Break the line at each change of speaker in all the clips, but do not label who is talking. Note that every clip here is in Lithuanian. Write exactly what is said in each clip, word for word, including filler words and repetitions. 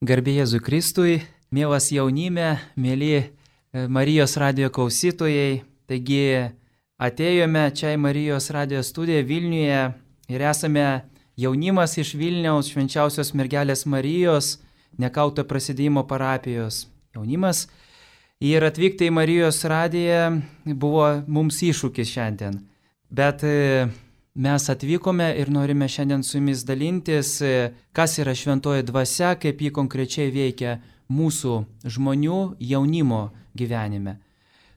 Garbė Jėzui Kristui, mielas jaunime, mėly Marijos radijo klausytojai. Taigi atėjome čia į Marijos radijo studiją Vilniuje ir esame jaunimas iš Vilniaus Švenčiausios mergelės Marijos Nekauto prasidėjimo parapijos jaunimas. Ir atvykti į Marijos radiją buvo mums iššūkis šiandien. Bet mes atvykome ir norime šiandien su jumis dalintis, kas yra šventoji dvasia, kaip ji konkrečiai veikia mūsų žmonių jaunimo gyvenime.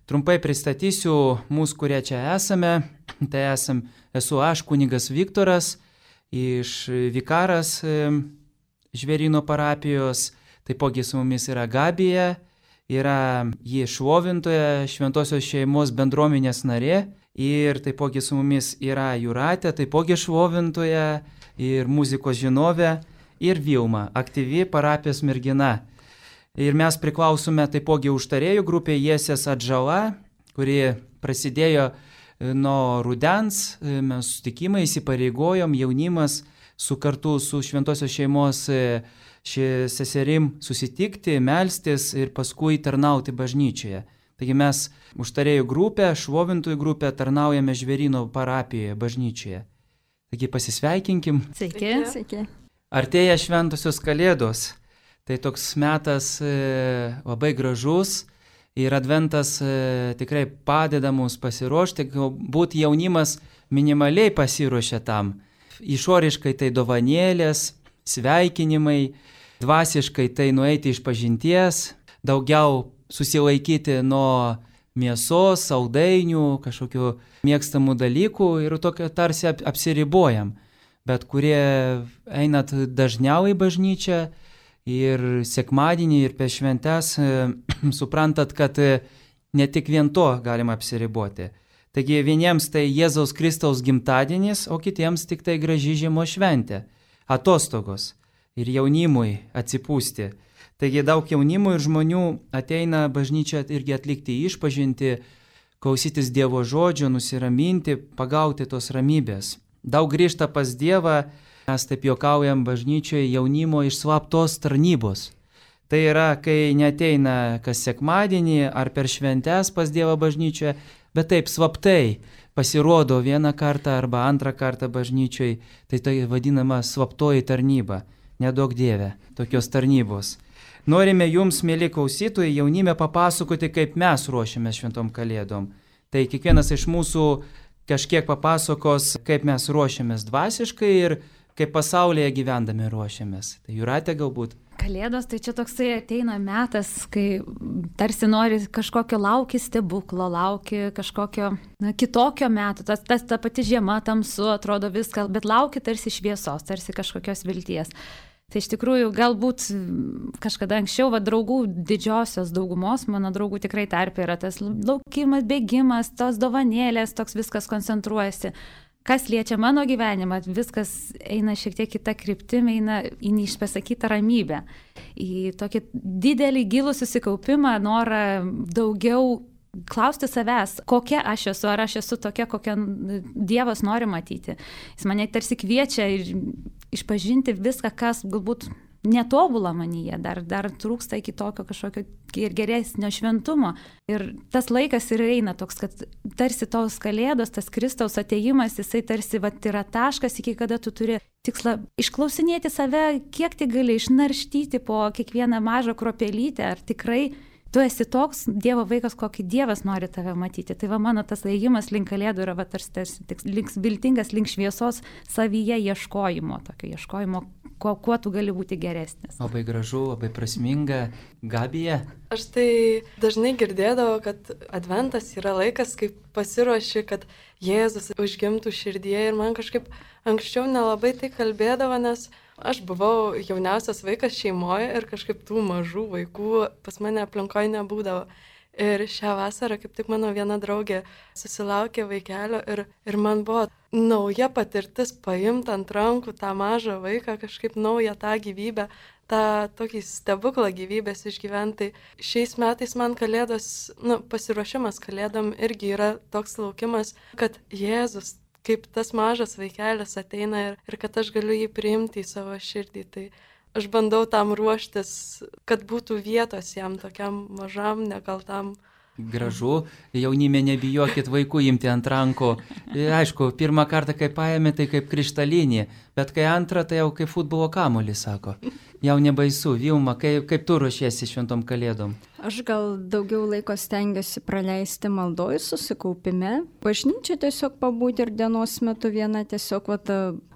Trumpai pristatysiu mūsų, kurie čia esame. Tai esam, esu aš, kunigas Viktoras, iš vikaras Žvėryno parapijos. Taipogi su mumis yra Gabija, yra ji šlovintoja, šventosios šeimos bendruomenės narė. Ir taipogi su mumis yra Jūratė, taipogi šlovintoja ir muzikos žinovė. Ir Vilma, aktyvi parapijos mergina. Ir mes priklausome taipogi užtarėjų grupė Jesės atžala, kuri prasidėjo nuo rudens. Mes sutikimai įsipareigojom jaunimas su kartu su šventosios šeimos seserim susitikti, melstis ir paskui tarnauti bažnyčioje. Taigi mes užtarėjų grupę, šlovintojų grupę tarnaujame Žvėryno parapijoje, bažnyčioje. Taigi pasisveikinkim.
Sveiki. Sveiki.
Artėja šventosios kalėdos. Tai toks metas e, labai gražus ir adventas e, tikrai padeda mums pasiruošti. Galbūt jaunimas minimaliai pasiruošia tam. Išoriškai tai dovanėlės, sveikinimai, dvasiškai tai nueiti iš pažinties, daugiau susilaikyti nuo mėsos, saldainių, kažkokių mėgstamų dalykų ir tokio tarsi apsiribojam. Bet kurie einat dažniau į bažnyčią ir sekmadienį ir per šventes, suprantat, kad ne tik vien to galima apsiriboti. Taigi vieniems tai Jėzaus Kristaus gimtadienis, o kitiems tik tai graži žiemos šventė, atostogos ir jaunimui atsipūsti. Taigi daug jaunimų ir žmonių ateina bažnyčią irgi atlikti išpažinti, klausytis Dievo žodžio, nusiraminti, pagauti tos ramybės. Daug grįžta pas Dievą, mes taip juokaujam bažnyčioje, jaunimo iš slaptos tarnybos. Tai yra, kai neteina kas sekmadienį ar per šventes pas Dievą bažnyčioje, bet taip slaptai pasirodo vieną kartą arba antrą kartą bažnyčioj, tai tai vadinama slaptoji tarnyba. Nedaug Dieve tokios tarnybos. Norime jums, mėly klausytojai, jaunime papasakoti, kaip mes ruošiamės šventom kalėdom. Tai kiekvienas iš mūsų kažkiek papasakos, kaip mes ruošiamės dvasiškai ir kaip pasaulyje gyvendami ruošiamės. Tai Jūratė galbūt.
Kalėdos tai čia toksai ateina metas, kai tarsi nori kažkokio lauki stebuklo, lauki kažkokio na, kitokio meto. Tas, tas ta pati žiema tamsu, atrodo viską, bet lauki tarsi šviesos, tarsi kažkokios vilties. Tai iš tikrųjų galbūt kažkada anksčiau, va, draugų didžiosios daugumos, mano draugų tikrai tarpe yra tas laukimas, bėgimas, tos dovanėlės, toks viskas koncentruojasi. Kas liečia mano gyvenimą, viskas eina šiek tiek kitą kryptimį, eina į neišpasakytą ramybę, į tokį didelį gilų susikaupimą, norą daugiau klausti savęs, kokia aš esu, ar aš esu tokia, kokią Dievas nori matyti. Jis mane tarsi kviečia išpažinti viską, kas galbūt netobula manyje, dar, dar trūksta iki tokio kažkokio ir geresnio šventumo. Ir tas laikas ir eina toks, kad tarsi tos kalėdos, tas Kristaus atėjimas, jisai tarsi vat, yra taškas, iki kada tu turi tikslą išklausinėti save, kiek tai gali išnarštyti po kiekvieną mažą kruopelytę, ar tikrai tu esi toks Dievo vaikas, kokį Dievas nori tave matyti. Tai va mano tas ėjimas link kalėdų yra va, tarsi, tarsi link, viltingas link šviesos savyje ieškojimo, tokio ieškojimo, kuo, kuo tu gali būti geresnis.
Labai gražu, labai prasminga. Gabija?
Aš tai dažnai girdėdavau, kad adventas yra laikas, kai pasiruoši, kad Jėzus užgimtų širdyje ir man kažkaip anksčiau nelabai tai kalbėdavo, nes aš buvau jauniausias vaikas šeimoje ir kažkaip tų mažų vaikų pas mane aplinkoje nebūdavo. Ir šią vasarą kaip tik mano viena draugė susilaukė vaikelio ir, ir man buvo nauja patirtis paimti ant rankų tą mažą vaiką, kažkaip naują tą gyvybę, tą tokį stebuklą gyvybės išgyventi. Šiais metais man kalėdos, nu, pasiruošimas kalėdom irgi yra toks laukimas, kad Jėzus kaip tas mažas vaikelis ateina ir, ir kad aš galiu jį priimti į savo širdį. Tai aš bandau tam ruoštis, kad būtų vietos jam tokiam mažam, nekaltam.
Gražu, jaunime nebijokit vaikų imti ant rankų. Aišku, pirmą kartą, kai paėmė, tai kaip krištalinį, bet kai antrą, tai jau kaip futbolo kamuolį, sako. Jau nebaisu. Vilma, kaip, kaip tu ruošiesi šventom kalėdom?
Aš gal daugiau laiko stengiuosi praleisti maldoj, susikaupime. Bažnyčia tiesiog pabūti ir dienos metu viena tiesiog vat,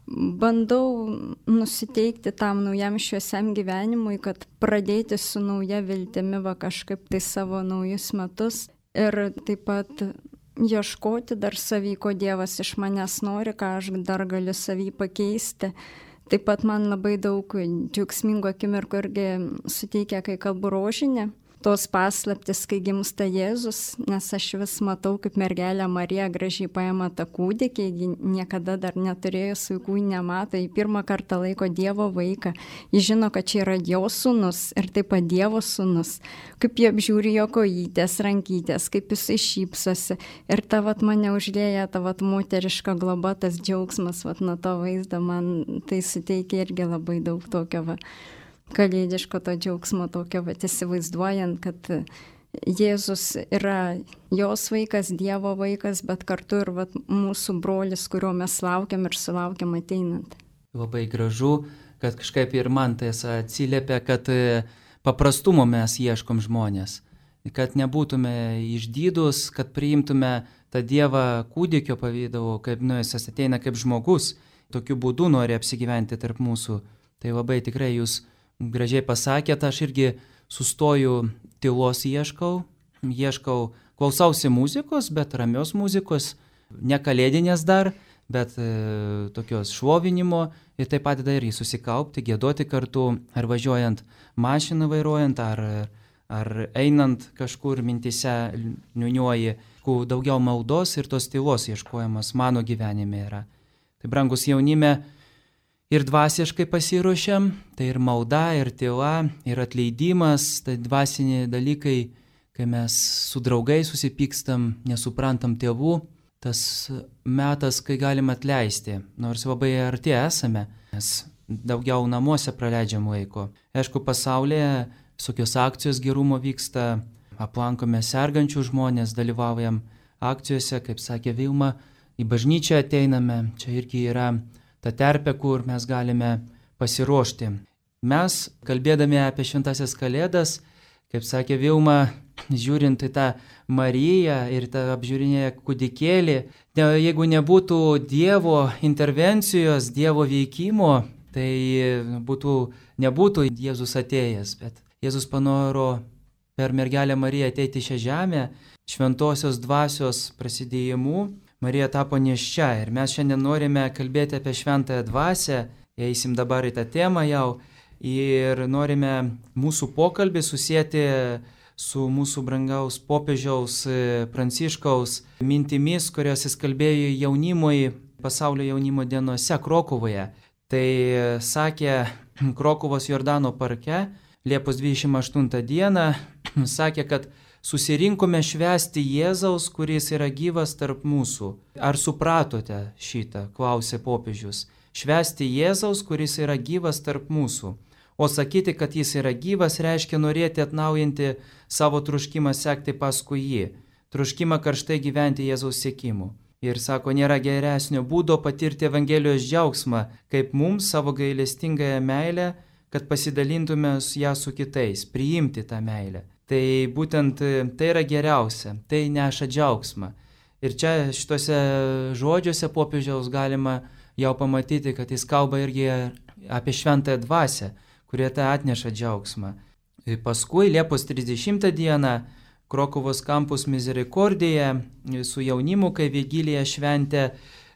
bandau nusiteikti tam naujam šviesiam gyvenimui, kad pradėti su nauja viltimi va kažkaip tai savo naujus metus ir taip pat ieškoti dar savy, ko Dievas iš manęs nori, ką aš dar galiu savy pakeisti. Taip pat man labai daug džiaugsmingo akimirkų irgi suteikia, kai kalbu rožinį. Tos paslaptis, kai gimsta Jėzus, nes aš vis matau, kaip mergelė Marija gražiai paima tą kūdikį, ji niekada dar neturėjus vaikų, nemato, ji pirmą kartą laiko Dievo vaiką, ji žino, kad čia yra jo sūnus ir taip pat Dievo sūnus, kaip jie apžiūri jo kojytės, rankytės, kaip jisai šypsosi ir ta vat mane užlėja, ta vat moteriška globa, tas džiaugsmas, vat nuo to vaizdo man tai suteikia irgi labai daug tokio va. Kalėdiško to džiaugsmo tokio, bet įsivaizduojant, kad Jėzus yra jos vaikas, Dievo vaikas, bet kartu ir vat, mūsų brolis, kurio mes laukiam ir sulaukiam ateinant.
Labai gražu, kad kažkaip ir man tai atsiliepia, kad paprastumo mes ieškom žmonės, kad nebūtume išdydus, kad priimtume tą Dievą kūdikio pavydalu, kaip nu, jis ateina kaip žmogus, tokiu būdu nori apsigyventi tarp mūsų. Tai labai tikrai jūs gražiai pasakėt, aš irgi sustoju, tylos ieškau, ieškau, klausausi muzikos, bet ramios muzikos, ne kalėdinės dar, bet e, tokios šlovinimo ir tai padeda irgi susikaupti, giedoti kartu, ar važiuojant mašiną vairuojant, ar, ar einant kažkur mintise niuniuoji, kuo daugiau maldos ir tos tylos ieškojimas mano gyvenime yra. Tai brangus jaunime, ir dvasiškai pasiruošiam, tai ir malda, ir tyla, ir atleidimas, tai dvasiniai dalykai, kai mes su draugais susipykstam, nesuprantam tėvų, tas metas, kai galim atleisti, nors labai arti esame, nes daugiau namuose praleidžiam laiko. Aišku, pasaulyje visokios akcijos gerumo vyksta, aplankome sergančių žmonės, dalyvaujam akcijose, kaip sakė Vilma, į bažnyčią ateiname, čia irgi yra ta terpė, kur mes galime pasiruošti. Mes, kalbėdami apie šventasias kalėdas, kaip sakė Vilma, žiūrint į tą Mariją ir tą apžiūrinėję kūdikėlį, ne, jeigu nebūtų Dievo intervencijos, Dievo veikimo, tai būtų, nebūtų Jėzus atėjęs, bet Jėzus panoro per mergelę Mariją ateiti šią žemę, šventosios dvasios prasidėjimu, Marija tapo nėščia ir mes šiandien norime kalbėti apie šventąją dvasią, eisim dabar į tą temą jau ir norime mūsų pokalbį susijęti su mūsų brangaus popiežiaus Pranciškaus mintimis, kurios jis kalbėjo jaunimui pasaulio jaunimo dienose Krokuvoje. Tai sakė Krokuvos Jordano parke Liepos dvidešimt aštuntą dieną, sakė, kad susirinkome švęsti Jėzaus, kuris yra gyvas tarp mūsų. Ar supratote šitą, klausė popiežius. Švęsti Jėzaus, kuris yra gyvas tarp mūsų. O sakyti, kad jis yra gyvas, reiškia norėti atnaujinti savo troškimą sekti paskui jį. Troškimą karštai gyventi Jėzaus siekimu. Ir sako, nėra geresnio būdo patirti Evangelijos džiaugsmą, kaip mums savo gailestingąją meilę, kad pasidalintume ją su kitais, priimti tą meilę. Tai būtent tai yra geriausia, tai neša džiaugsmą. Ir čia šituose žodžiuose popiežiaus galima jau pamatyti, kad jis kalba irgi apie šventąją dvasią, kurie tai atneša džiaugsmą. Ir paskui Liepos trisdešimtą dieną Krokuvos kampus Misericordija su jaunimu, kai Vigiliją šventę,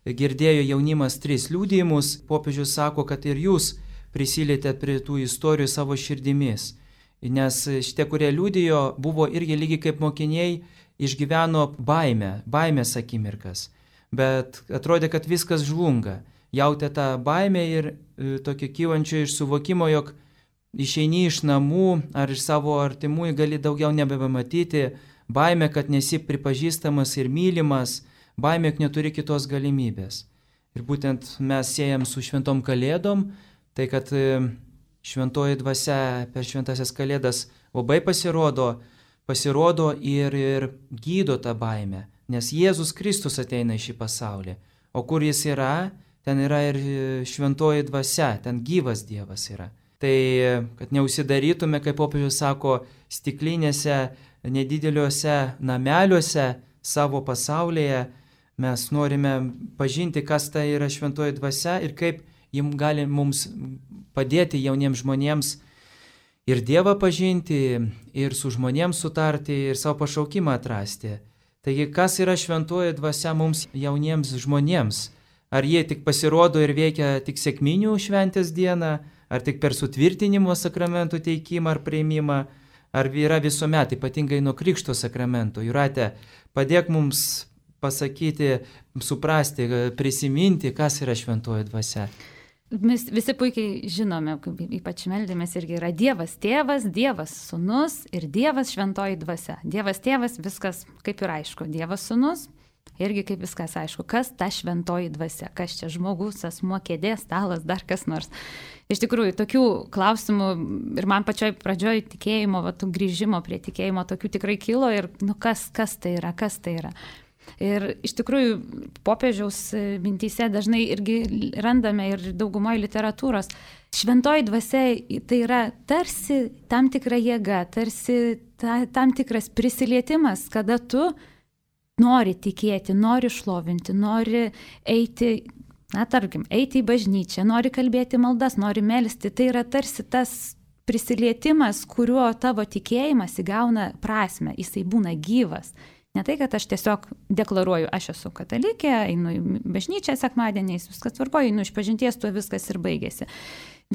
girdėjo jaunimas tris liudijimus. Popiežius sako, kad ir jūs prisilietėt prie tų istorijų savo širdimis. Nes šitie, kurie liudijo, buvo irgi lygiai kaip mokiniai, išgyveno baimę, baimės akimirkas. Bet atrodė, kad viskas žlunga. Jautė tą baimę ir e, tokio kylančio iš suvokimo, jog išeini iš namų ar iš savo artimųjų gali daugiau nebematyti. Baimė, kad nesi pripažįstamas ir mylimas. Baimė, kad neturi kitos galimybės. Ir būtent mes siejam su šventom kalėdom, tai kad e, šventoji dvasia per šventasias kalėdas labai pasirodo, pasirodo ir, ir gydo tą baimę, nes Jėzus Kristus ateina į šį pasaulį. O kur jis yra, ten yra ir šventoji dvasia, ten gyvas Dievas yra. Tai, kad neužsidarytume, kaip popiežius sako, stiklinėse, nedideliuose nameliuose savo pasaulyje, mes norime pažinti, kas tai yra šventoji dvasia ir kaip jim gali mums padėti jauniems žmonėms ir Dievą pažinti, ir su žmonėms sutarti, ir savo pašaukimą atrasti. Taigi, kas yra šventoji dvasia mums jauniems žmonėms? Ar jie tik pasirodo ir veikia tik sekminių šventės dieną, ar tik per sutvirtinimo sakramentų teikimą ar priėmimą, ar yra visuomet, ypatingai nuo krikšto sakramento? Jūrate, padėk mums pasakyti, suprasti, prisiminti, kas yra šventoji dvasia.
Mes visi puikiai žinome, ypač meldėmės irgi yra Dievas tėvas, Dievas sūnus ir Dievas šventoji dvasia. Dievas tėvas, viskas kaip ir aišku. Dievas sūnus, irgi kaip viskas aišku. Kas ta šventoji dvasia? Kas čia žmogus, asmuo, kėdė, stalas, dar kas nors. Iš tikrųjų, tokių klausimų ir man pačioj pradžioj tikėjimo, va, tų grįžimo prie tikėjimo tokių tikrai kilo ir nu, kas, kas tai yra, kas tai yra. Ir iš tikrųjų popiežiaus mintyse dažnai irgi randame ir daugumoje literatūros. Šventoji dvasia tai yra tarsi tam tikra jėga, tarsi ta, tam tikras prisilietimas, kada tu nori tikėti, nori šlovinti, nori eiti, na tarkim, eiti į bažnyčią, nori kalbėti maldas, nori melsti. Tai yra tarsi tas prisilietimas, kuriuo tavo tikėjimas įgauna prasmę, jisai būna gyvas. Ne tai, kad aš tiesiog deklaruoju, aš esu katalikė, einu į bažnyčią sekmadieniais, viskas tvarkoju, einu iš pažinties, tuo viskas ir baigėsi.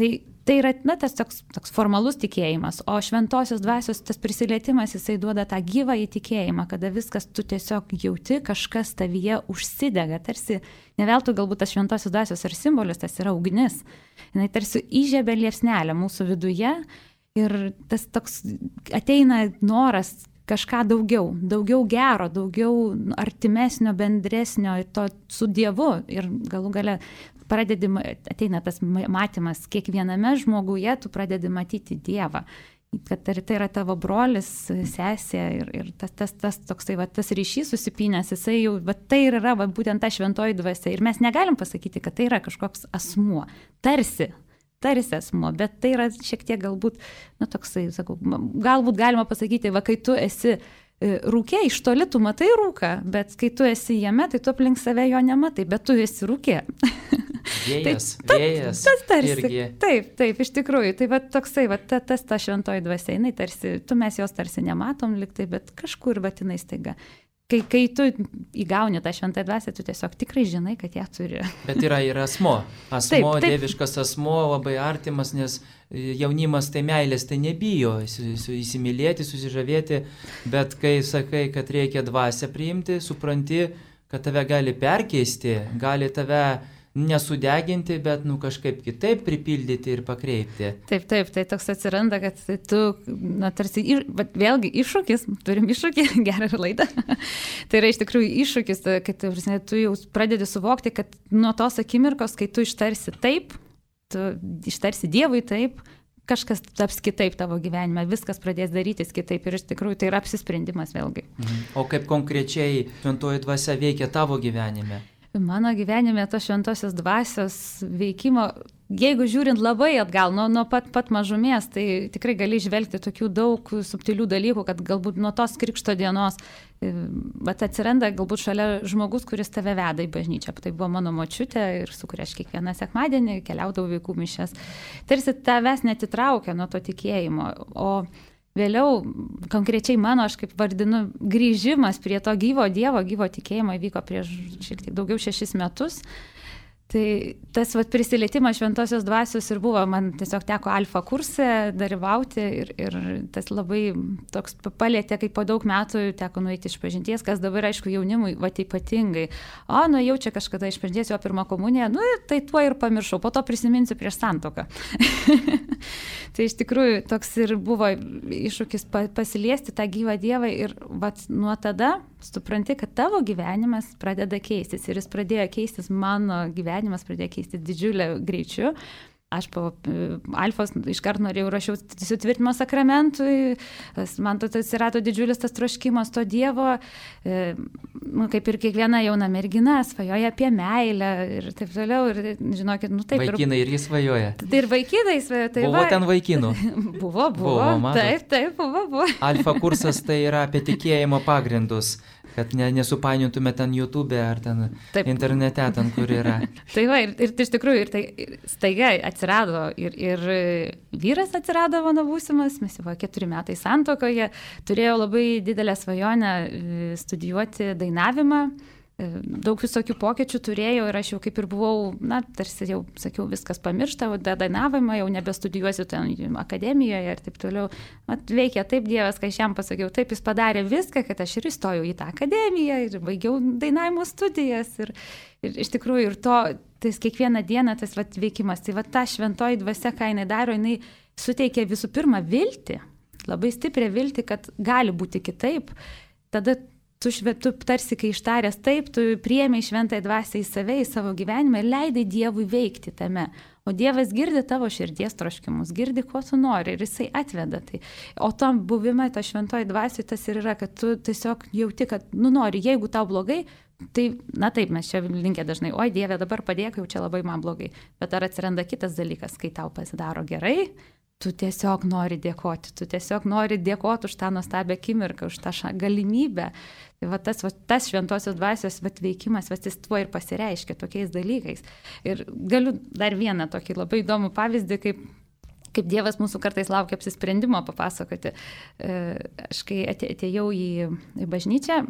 Tai, tai yra na, tas toks, toks formalus tikėjimas, o šventosios dvasios tas prisilietimas, jisai duoda tą gyvą įtikėjimą, kada viskas tu tiesiog jauti, kažkas tavyje užsidega, tarsi neveltui galbūt tas šventosios dvasios ar simbolis, tas yra ugnis. Jis tarsi įžiebia liepsnelę mūsų viduje ir tas toks ateina noras kažką daugiau, daugiau gero, daugiau artimesnio, bendresnio to su Dievu ir galų gale pradedi, ateina tas matymas kiekviename žmoguje, tu pradedi matyti Dievą, kad tai yra tavo brolis, sesė ir, ir tas, tas, tas, toksai, va, tas ryšys susipynęs, jisai jau, va, tai yra va, būtent ta šventoji dvasia ir mes negalim pasakyti, kad tai yra kažkoks asmuo, tarsi, tarsi asmuo, bet tai yra šiek tiek galbūt, na toksai, sakau, galbūt galima pasakyti, va, kai tu esi rūkė, iš toli tu matai rūką, bet kai tu esi jame, tai tu aplink save jo nematai, bet tu esi rūkė.
Vėjas,
tai,
vėjas.
Tas tarsi,
irgi.
Taip, taip, iš tikrųjų, tai va toksai, va ta, tas ta šventoji dvasia, jinai tarsi, tu mes jos tarsi nematom liktai, bet kažkur, bet jinai staiga. Kai, kai tu įgauni tą šventą dvasią, tu tiesiog tikrai žinai, kad ją turi.
Bet yra ir asmo. Asmo, taip, taip. Dieviškas asmo, labai artimas, nes jaunimas tai meilės, tai nebijo įsimylėti, susižavėti, bet kai sakai, kad reikia dvasią priimti, supranti, kad tave gali perkeisti, gali tave nesudeginti, bet nu, kažkaip kitaip pripildyti ir pakreipti.
Taip, taip, tai toks atsiranda, kad tu, na, tarsi, bet vėlgi iššūkis, turim iššūkį, gerą laidą. Tai yra iš tikrųjų iššūkis, kad tu jau pradedi suvokti, kad nuo tos akimirkos, kai tu ištarsi taip, tu ištarsi Dievui taip, kažkas taps kitaip tavo gyvenime, viskas pradės darytis kitaip ir iš tikrųjų tai yra apsisprendimas vėlgi.
Mhm. O kaip konkrečiai šventoji dvasia veikia tavo gyvenime?
Mano gyvenime tos šventosios dvasios veikimo, jeigu žiūrint labai atgal, nuo, nuo pat, pat mažumės, tai tikrai gali žvelgti tokių daug subtilių dalykų, kad galbūt nuo tos krikšto dienos bet atsiranda galbūt šalia žmogus, kuris tave veda į bažnyčią. Tai buvo mano močiutė ir su kuria aš kiekvieną sekmadienį keliaudavau vaikų mišias. Tarsi tavęs netitraukia nuo to tikėjimo, o vėliau, konkrečiai mano, aš kaip vardinu, grįžimas prie to gyvo Dievo, gyvo tikėjimo įvyko prieš šiek tiek daugiau šešis metus. Tai tas vat, prisilietimas šventosios dvasios ir buvo, man tiesiog teko alfa kurse dalyvauti ir, ir tas labai toks palėtė, kaip po daug metų teko nueiti iš pažinties, kas dabar, aišku, jaunimui, va ypatingai. O, nu jau čia kažkada iš pažinties jo pirmą komuniją, nu tai tuo ir pamiršau, po to prisiminsiu prieš santuoką. Tai iš tikrųjų toks ir buvo iššūkis pasiliesti tą gyvą Dievą ir vat, nuo tada supranti, kad tavo gyvenimas pradeda keistis ir jis pradėjo keistis, mano gyvenimas pradėjo keistis didžiulę greičiu Aš po alfos iškart norėjau rašiau sutvirtinimo sakramentui, man to atsirado didžiulis tas troškimas to Dievo, nu, kaip ir kiekviena jauna mergina svajoja apie meilę ir taip toliau. Ir, žinokit, nu taip.
Vaikinai irgi svajoja.
Tai ir vaikinai svajoja. Tai
buvo
va,
ten vaikinų?
Buvo, buvo. buvo taip, taip, buvo, buvo.
Alfa kursas tai yra apie tikėjimo pagrindus. Kad ne, nesupainiotume ten YouTube ar ten Taip. Internete, ten kur yra.
Tai va, ir, ir iš tikrųjų, ir tai ir staiga atsirado, ir, ir vyras atsirado mano būsimas, mes jau keturi metai santuokoje, turėjau labai didelę svajonę studijuoti dainavimą. Daug visokių pokyčių turėjau ir aš jau kaip ir buvau, na, tarsi jau sakiau, viskas pamiršta, o dainavimą jau nebestudijuosiu ten akademijoje ir taip toliau. Mat, veikia taip Dievas, kai aš jam pasakiau, taip jis padarė viską, kad aš ir įstojau į tą akademiją ir baigiau dainavimo studijas. Ir, ir iš tikrųjų, ir to, tas kiekvieną dieną tas vat, veikimas, tai va ta šventoji dvasia, ką jinai daro, jinai suteikia visų pirma viltį, labai stiprią viltį, kad gali būti kitaip. Tada Tu, tu tarsi, kai ištaręs taip, tu priėmei šventąją dvasią į save, į savo gyvenimą ir leidai Dievui veikti tame. O Dievas girdi tavo širdies troškimus, girdi, ko tu nori ir jisai atveda tai. O tam buvime, to šventoji dvasiai tas ir yra, kad tu tiesiog jauti, kad, nu nori, jeigu tau blogai, tai, na taip, mes čia linkę dažnai, oi Dieve, dabar padėk, jau čia labai man blogai. Bet ar atsiranda kitas dalykas, kai tau pasidaro gerai, tu tiesiog nori dėkoti, tu tiesiog nori dėkoti už tą nuostabią akimirką, už tą galimybę. Tai va tas, va, tas šventosios dvasios va, veikimas, va, jis tuo ir pasireiškia tokiais dalykais. Ir galiu dar vieną tokį labai įdomų pavyzdį, kaip, kaip Dievas mūsų kartais laukia apsisprendimo papasakoti. Aš kai atėjau į, į bažnyčią,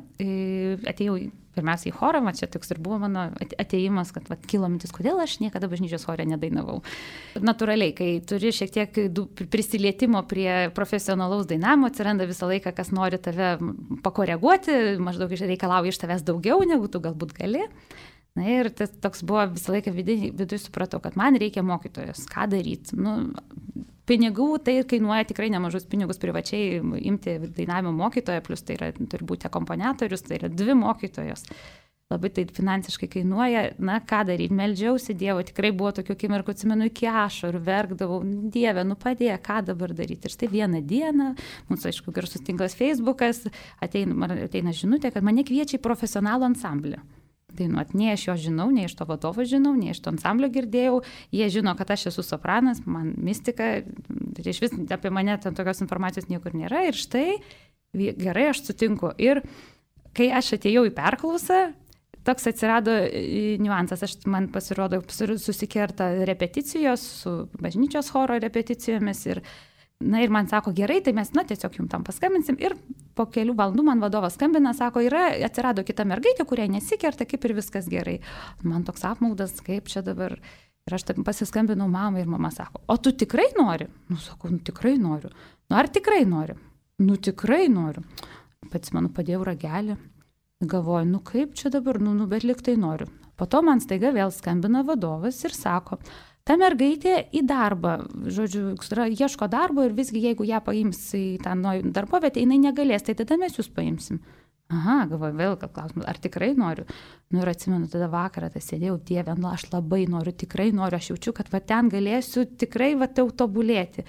atėjau pirmiausia į chorą, va, čia toks ir buvo mano atėjimas, kad va, kilo mintis, kodėl aš niekada bažnyčios chore nedainavau. Natūraliai, kai turi šiek tiek prisilietimo prie profesionalaus dainavimo, atsiranda visą laiką, kas nori tave pakoreguoti, maždaug reikalauja iš tavęs daugiau, negu tu galbūt gali. Na ir tas toks buvo visą laiką viduje, viduje supratau, kad man reikia mokytojos, ką daryti. Nu, pinigų tai kainuoja tikrai nemažus pinigus privačiai imti dainavimo mokytoją, plus tai yra, turi būti akompaniatorius, tai yra dvi mokytojos. Labai tai finansiškai kainuoja, na ką daryti, meldžiausi Dievo, tikrai buvo tokių akimirkų, atsimenu, iki ašarų, verkdavau, Dieve, nu padėk, ką dabar daryti. Ir štai vieną dieną, mūsų aišku garsus tinklas Facebookas, ateina, ateina žinutė, kad mane kviečia į profesionalų ansamblį. Dainuot. Nei aš jo žinau, nei iš to vadovo žinau, nei iš to ansamblio girdėjau. Jie žino, kad aš esu sopranas, man mistika, tai iš vis apie mane ten tokios informacijos niekur nėra. Ir štai, gerai, aš sutinku. Ir kai aš atėjau į perklausą, toks atsirado niuansas. Aš, man pasirodo, susikerta repeticijos su bažnyčios choro repeticijomis ir na ir man sako, gerai, tai mes, na, tiesiog jums tam paskambinsim. Ir po kelių valandų man vadovas skambina, sako, yra, atsirado kita mergaitė, kuriai nesikerta, kaip ir viskas gerai. Man toks apmaudas, kaip čia dabar. Ir aš taip pasiskambinau mamai ir mama sako, o tu tikrai nori? Nu, sakau, nu, tikrai noriu. Nu, ar tikrai nori? Nu, tikrai noriu. Pats man padėjau ragelį. Galvoju, nu, kaip čia dabar, nu, nu, bet liktai noriu. Po to man staiga vėl skambina vadovas ir sako, ta mergaitė į darbą, žodžiu, ieško darbo ir visgi jeigu ją paims į tą darbovietę, jinai negalės, tai tada mes jūs paimsim. Aha, galvoju, vėl klausimas, ar tikrai noriu? Nu ir atsimenu, tada vakarą tai sėdėjau, Dieve, nu aš labai noriu, tikrai noriu, aš jaučiu, kad va ten galėsiu tikrai va jau tobulėti.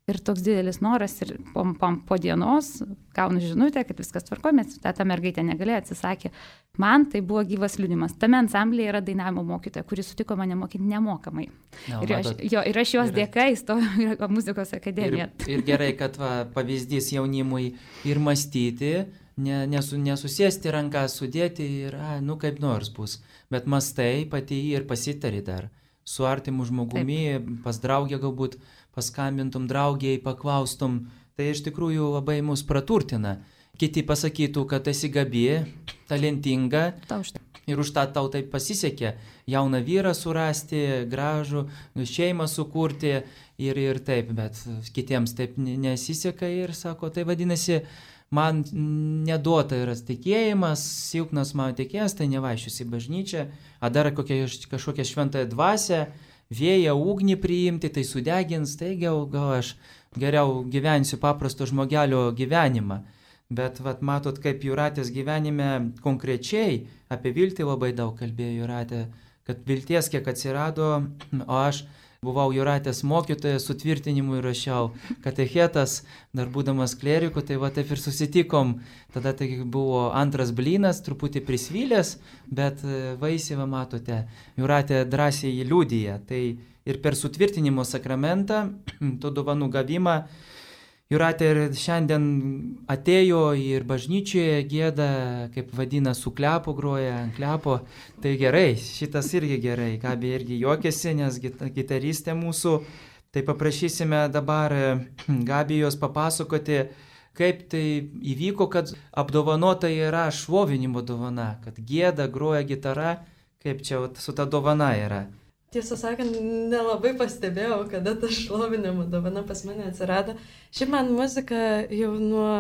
Ir toks didelis noras ir po, po, po dienos gaunu žinutę, kad viskas tvarko, mes ta, ta mergaitė negalėjo, atsisakė. Man tai buvo gyvas liudimas. Tame ansamblėje yra dainavimo mokytoja, kuris sutiko mane mokyti nemokamai. No, ir, aš, jo, ir aš jos dėka įstojau į muzikos akademiją.
Ir, ir gerai, kad va, pavyzdys jaunimui ir mąstyti, ne, nesu, nesusėsti ranką, sudėti ir, a, nu kaip nors bus. Bet mąstai pati ir pasitari dar. Su artimu žmogumi, Taip. Pas draugę galbūt paskambintum draugiai, paklaustum, tai iš tikrųjų labai mus praturtina. Kiti pasakytų, kad esi gabi, talentinga ir už tą tau taip pasisekė jauną vyrą surasti, gražų, šeimą sukurti ir, ir taip, bet kitiems taip nesiseka ir sako, tai vadinasi, man neduota yra tikėjimas, silpnas mano tikėjimas, tai nevaikščiosiu į bažnyčią, ar dar kokią, kažkokią šventąją dvasią, vėją, ugnį priimti, tai sudegins, tai gal, gal aš geriau gyvensiu paprasto žmogelio gyvenimą. Bet vat, matot, kaip Jūratės gyvenime konkrečiai apie viltį labai daug kalbėjo Jūratė, kad vilties kiek atsirado, o aš buvau Jūratės mokytojas, sutvirtinimui rašiau katechetas, dar būdamas kleriku, tai va taip ir susitikom. Tada tai buvo antras blynas, truputį prisvylęs, bet vaisiai, va matote, Jūratė drąsiai liudija. Tai ir per sutvirtinimo sakramentą, to dovanų gavimą, Jūratė ir šiandien atėjo ir bažnyčioje gėda, kaip vadina, su klepu groja, ant klepo. Tai gerai, šitas irgi gerai, Gabija irgi juokiasi, nes gitaristė mūsų. Tai paprašysime dabar Gabijos papasakoti, kaip tai įvyko, kad apdovanota yra šlovinimo dovana, kad gėda, groja gitara, kaip čia su ta dovana yra.
Tiesą sakant, nelabai pastebėjau, kada ta šlovinimo dovana pas mane atsirado. Šiaip man muzika jau nuo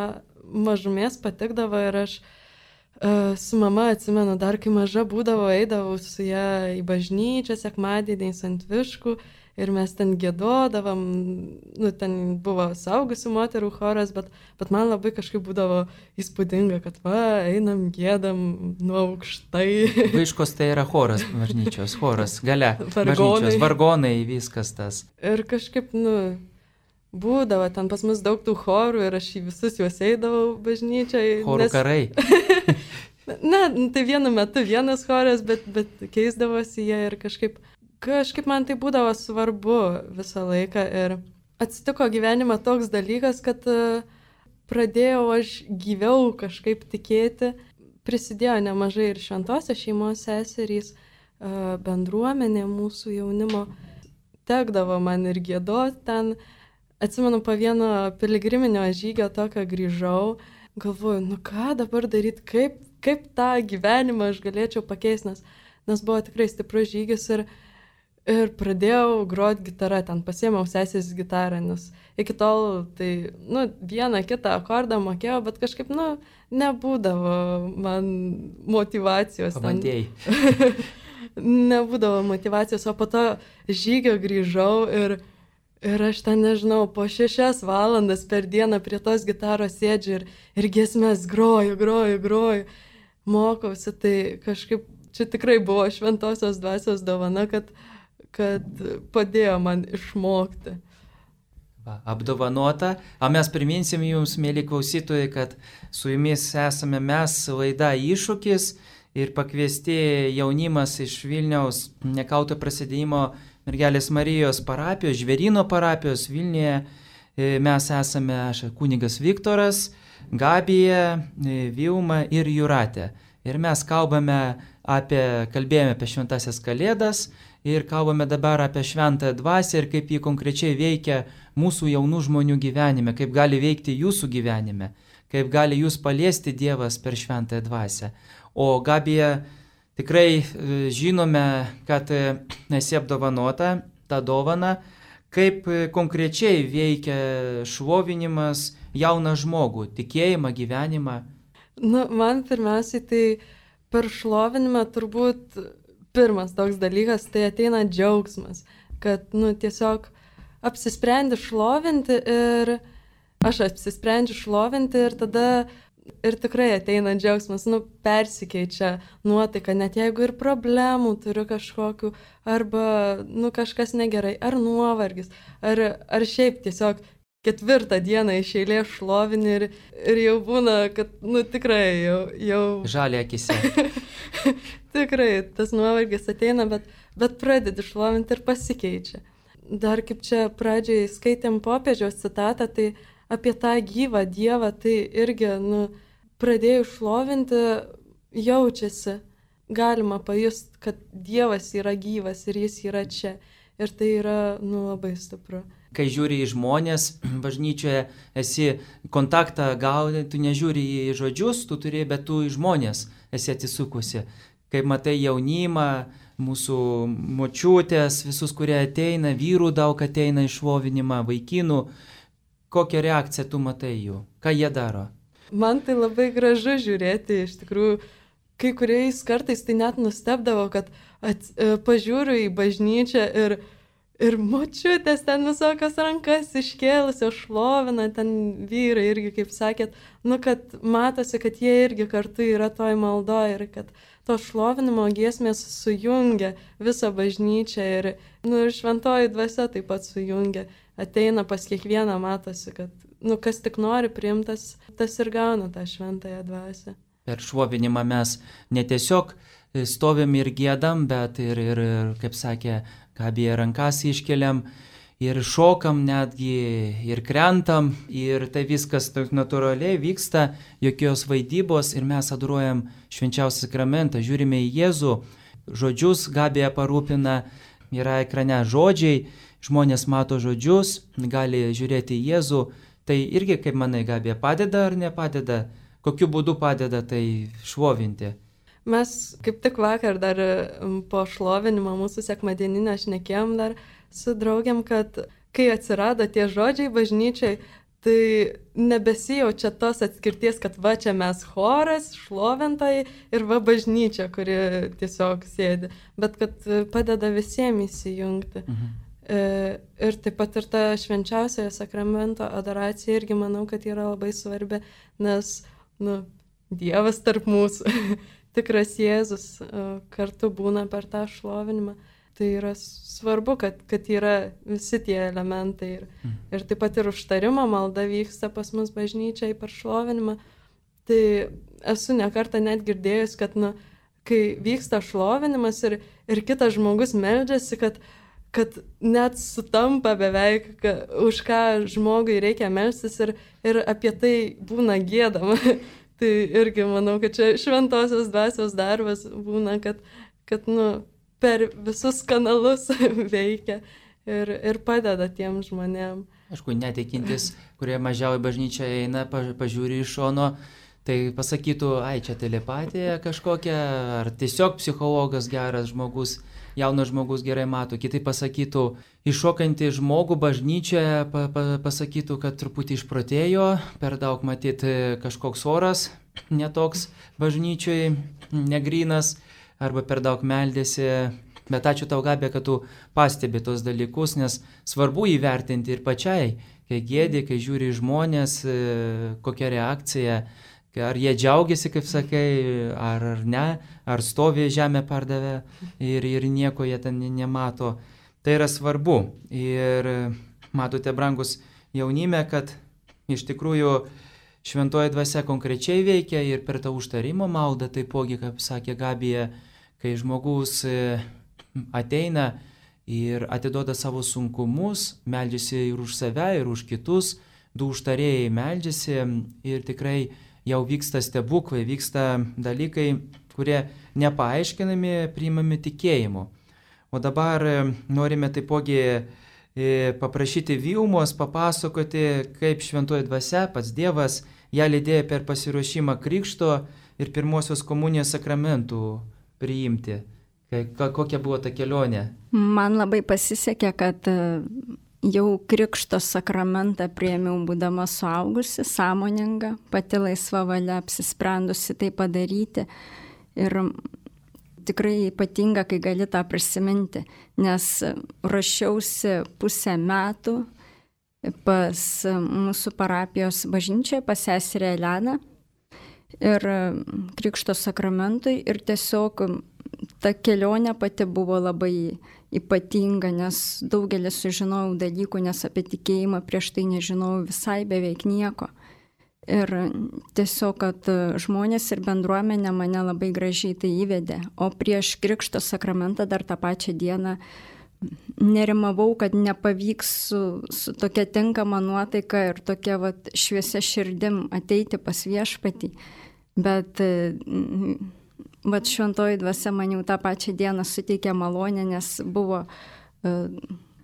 mažumės patikdavo ir aš uh, su mama atsimenu, dar kai maža būdavo, eidavau su ją į bažnyčią sekmadieniais ant Viškų ir mes ten gėdodavom, nu ten buvo saugusių moterų choras, bet, bet man labai kažkaip būdavo įspūdinga, kad va, einam, gėdam nuo aukštai.
Viškos tai yra choras bažnyčios, choras, gale,
vargonai.
Bažnyčios, vargonai, viskas tas.
Ir kažkaip, nu, būdavo ten pas mus daug tų chorų ir aš į visus juos eidavau bažnyčiai.
Chorų nes... karai.
Na, tai vienu metu vienas choras, bet, bet keisdavosi jie ir kažkaip... Kažkaip man tai būdavo svarbu visą laiką ir atsitiko gyvenime toks dalykas, kad pradėjau aš gyviau kažkaip tikėti. Prisidėjo nemažai ir šventosios šeimos seserys, bendruomenė mūsų jaunimo. Tekdavo man ir giedoti ten. Atsimenu, po vieno piligriminio žygio tokio grįžau. Galvoju, nu ką dabar daryti, kaip, kaip tą gyvenimą aš galėčiau pakeisti, nes, nes buvo tikrai stiprus žygis ir Ir pradėjau groti gitarą, ten pasiėmiau sesės gitarą, nes iki tol tai, nu, vieną kitą akordą mokėjau, bet kažkaip, nu, nebūdavo man motivacijos.
Pabandėjai.
Nebūdavo motivacijos, o po to žygio grįžau ir, ir aš ten, nežinau, po šešias valandas per dieną prie tos gitaros sėdžiu ir, ir giesmės groju, groju, groju, mokausi, tai kažkaip čia tikrai buvo šventosios dvasios dovana, kad kad padėjo man išmokti.
Va, apdovanota. O mes priminsim jums, mėly klausytojai, kad su jumis esame mes, laida Iššūkis ir pakviesti jaunimas iš Vilniaus nekauto prasidėjimo Mergelės Marijos parapijos, Žvėryno parapijos Vilniuje. Mes esame, aš kunigas Viktoras, Gabija, Vilma ir Jūratė. Ir mes kalbame apie, kalbėjome apie šventasias kalėdas, ir kalbame dabar apie šventąją dvasią ir kaip jį konkrečiai veikia mūsų jaunų žmonių gyvenime, kaip gali veikti jūsų gyvenime, kaip gali jūs paliesti Dievas per šventąją dvasią. O Gabija, tikrai žinome, kad esi apdovanota tą dovaną, kaip konkrečiai veikia šlovinimas jauną žmogų, tikėjimą, gyvenimą.
Nu, man pirmiausiai tai per šlovinimą turbūt pirmas toks dalykas, tai ateina džiaugsmas, kad, nu, tiesiog apsisprendi šlovinti ir aš apsisprendžiu šlovinti ir tada ir tikrai ateina džiaugsmas, nu, persikeičia nuotaika, net jeigu ir problemų turiu kažkokių, arba, nu, kažkas negerai, ar nuovargis, ar, ar šiaip tiesiog ketvirtą dieną iš eilės šlovini ir, ir jau būna, kad, nu, tikrai jau... jau...
Žalia akise.
Tikrai, tas nuovargis ateina, bet, bet pradedi šlovinti ir pasikeičia. Dar kaip čia pradžiai skaitėm popiežiaus citatą, tai apie tą gyvą Dievą, tai irgi, nu, pradėjus šlovinti, jaučiasi, galima pajusti, kad Dievas yra gyvas ir jis yra čia. Ir tai yra, nu, labai stipru.
Kai žiūri į žmonės, bažnyčioje esi kontaktą gauni, tu nežiūri į žodžius, tu turi, bet tu į žmonės esi atsisukusi. Kai matai jaunimą, mūsų močiutės, visus, kurie ateina, vyrų daug ateina į šlovinimą, vaikinų, kokią reakciją tu matai jų, ką jie daro?
Man tai labai gražu žiūrėti, iš tikrųjų, kai kuriais kartais tai net nustebdavo, kad ats, pažiūriu į bažnyčią ir Ir močiutės ten visokias rankas iškėlusios šlovina, ten vyrai irgi, kaip sakėt, nu, kad matosi, kad jie irgi kartu yra toj maldoj ir kad to šlovinimo giesmės sujungia visą bažnyčią ir, nu, ir šventoji dvasia taip pat sujungia, ateina pas kiekvieną, matosi, kad, nu, kas tik nori priimtas, tas ir gauna tą šventąją dvasią.
Per šlovinimą mes ne tiesiog stovim ir giedam, bet ir, ir, ir kaip sakė, Gabija, rankas iškeliam ir šokam netgi, ir krentam, ir tai viskas natūraliai vyksta, jokios vaidybos ir mes adoruojam švenčiausią sakramentą, žiūrime į Jėzų, žodžius Gabija parūpina, yra ekrane žodžiai, žmonės mato žodžius, gali žiūrėti į Jėzų, tai irgi, kaip manai, Gabija, padeda ar nepadeda, kokiu būdu padeda tai šlovinti?
Mes kaip tik vakar dar po šlovinimo mūsų sekmadieninio šnekėjom dar su draugiam, kad kai atsirado tie žodžiai bažnyčiai, tai nebesijaučia tos atskirties, kad va čia mes choras, šlovintojai ir va bažnyčia, kuri tiesiog sėdi, bet kad padeda visiems įsijungti. Mhm. Ir taip pat ir ta švenčiausiojo sakramento adoracija irgi manau, kad yra labai svarbi, nes, nu, Dievas tarp mūsų, tikras Jėzus kartu būna per tą šlovinimą. Tai yra svarbu, kad, kad yra visi tie elementai. Ir, mm. ir taip pat ir užtarimo malda vyksta pas mus bažnyčiai per šlovinimą. Tai esu nekartą net girdėjus, kad, nu, kai vyksta šlovinimas ir, ir kitas žmogus meldžiasi, kad, kad net sutampa beveik, ka, už ką žmogui reikia melstis ir, ir apie tai būna giedama. Tai irgi manau, kad čia šventosios dvasios darbas būna, kad, kad nu, per visus kanalus veikia ir, ir padeda tiem žmonėm.
Aišku, netikintis, kurie mažiau į bažnyčią eina, pažiūri iš šono, tai pasakytų, ai, čia telepatija kažkokia, ar tiesiog psichologas geras žmogus, jaunas žmogus gerai mato, kitai pasakytų, iššokantį žmogų bažnyčioje pa, pa, pasakytų, kad truputį išprotėjo, per daug matyti kažkoks oras, netoks bažnyčioje, negrynas, arba per daug meldėsi. Bet ačiū tau, Gabija, kad tu pastebi tos dalykus, nes svarbu įvertinti ir pačiai, kai gėdi, kai žiūri žmonės, kokia reakcija, ar jie džiaugiasi, kaip sakai, ar, ar ne, ar stovi žemę pardavę ir, ir nieko jie ten nemato. Tai yra svarbu. Ir matote, brangus jaunime, kad iš tikrųjų šventoji dvasia konkrečiai veikia ir per tą užtarimo maldą, taipogi, kaip sakė Gabija, kai žmogus ateina ir atiduoda savo sunkumus, meldžiasi ir už save, ir už kitus, du užtarėjai meldžiasi ir tikrai jau vyksta stebuklai, vyksta dalykai, kurie nepaaiškinami, priimami tikėjimu. O dabar norime taipogi paprašyti Vilmos papasakoti, kaip šventoji dvasia, pats Dievas, ją lydėjo per pasiruošimą krikšto ir pirmosios komunijos sakramentų priimti. Kokia buvo ta kelionė?
Man labai pasisekė, kad jau krikšto sakramentą priėmiau būdama suaugusi, sąmoninga, pati laisva valia apsisprendusi tai padaryti. Ir tikrai ypatinga, kai gali tą prisiminti, nes ruošiausi pusę metų pas mūsų parapijos bažnyčią, pas seserę Eleną ir krikšto sakramentui. Ir tiesiog ta kelionė pati buvo labai ypatinga, nes daugelis sužinojau dalykų, nes apie tikėjimą prieš tai nežinojau visai beveik nieko. Ir tiesiog, kad žmonės ir bendruomenė mane labai gražiai tai įvedė. O prieš krikšto sakramentą dar tą pačią dieną nerimavau, kad nepavyks su, su tokia tinkama nuotaika ir tokia vat, šviesia širdim ateiti pas viešpatį. Bet vat, šventoji dvasia man jau tą pačią dieną suteikė malonę, nes buvo uh,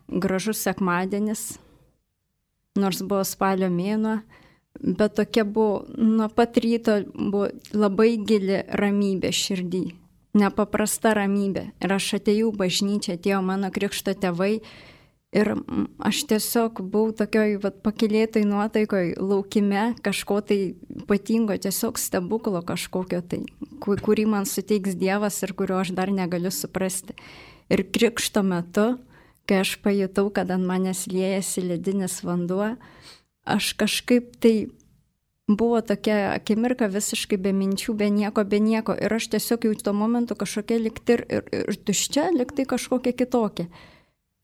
gražus sekmadienis, nors buvo spalio mėnuo, bet tokia buvo, nuo pat ryto buvo labai gili ramybė širdį, nepaprasta ramybė. Ir aš atėjau bažnyčią, atėjo mano krikšto tėvai ir aš tiesiog buvau tokioj vat, pakilėtoj nuotaikoj, laukime kažko tai ypatingo, tiesiog stebuklo kažkokio tai, kurį man suteiks Dievas ir kurio aš dar negaliu suprasti. Ir krikšto metu, kai aš pajutau, kad ant manęs liejasi ledinis vanduo, aš kažkaip tai buvo tokia akimirka visiškai be minčių, be nieko, be nieko. Ir aš tiesiog jau tuo momentu kažkokia likti ir, ir, ir tuščia, likti kažkokia kitokia.